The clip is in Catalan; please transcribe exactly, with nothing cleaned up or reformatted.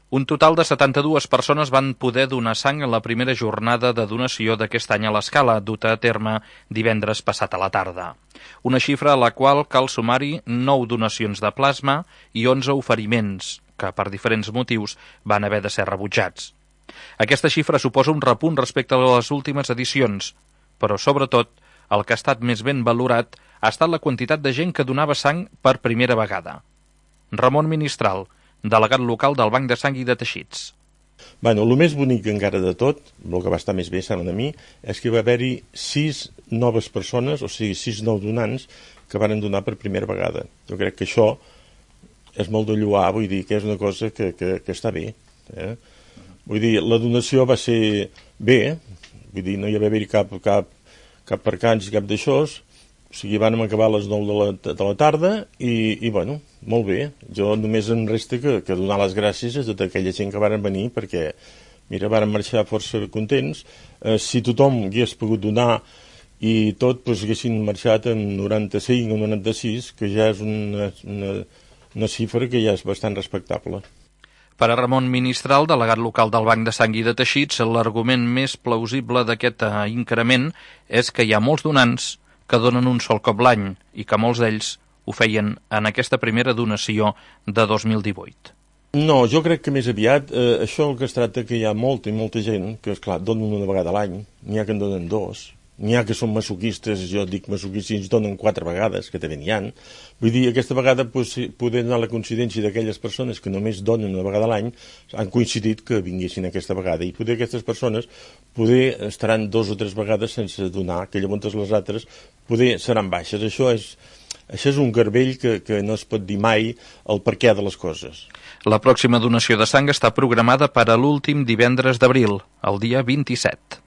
Un total de setanta-dues persones van poder donar sang en la primera jornada de donació d'aquest any a l'Escala, duta a terme divendres passat a la tarda. Una xifra a la qual cal sumar-hi nou donacions de plasma i onze oferiments, que per diferents motius van haver de ser rebutjats. Aquesta xifra suposa un repunt respecte a les últimes edicions, però sobretot el que ha estat més ben valorat ha estat la quantitat de gent que donava sang per primera vegada. Ramon Ministral, delegat local del Banc de Sang i de Teixits. Bueno, el més bonic encara de tot, el que va estar més bé, sembla a mi, és que va haver-hi sis noves persones, o sigui, sis nous donants, que van donar per primera vegada. Jo crec que això és molt de lloar, vull dir, que és una cosa que, que, que està bé. Eh? Vull dir, la donació va ser bé, vull dir, no hi va haver-hi cap, cap, cap percanç, cap d'això, o sigui, vam acabar a les nou de la, de la tarda i, i, bueno, molt bé. Jo només em resta que, que donar les gràcies a tota aquella gent que varen venir perquè, mira, varen marxar força contents. Eh, si tothom hagués pogut donar i tot, doncs haguessin marxat en noranta-cinc o noranta-sis, que ja és una, una, una xifra que ja és bastant respectable. Per a Ramon Ministral, delegat local del Banc de Sang i de Teixits, l'argument més plausible d'aquest increment és que hi ha molts donants que donen un sol cop l'any i que molts d'ells ho feien en aquesta primera donació de dos mil divuit. No, jo crec que més aviat eh, això el que es tracta que hi ha molta i molta gent que, esclar, donen una vegada a l'any, n'hi ha que en donen dos, n'hi ha que són masoquistes, jo dic masoquistes i ens donen quatre vegades, que també n'hi ha. Vull dir, aquesta vegada pues, poder donar la coincidència d'aquelles persones que només donen una vegada a l'any han coincidit que vinguessin aquesta vegada i poder aquestes persones poder estaran dos o tres vegades sense donar, que llavors les altres poder seran baixes. Això és, això és un garbell que, que no es pot dir mai el perquè de les coses. La pròxima donació de sang està programada per a l'últim divendres d'abril, el dia vint-i-set.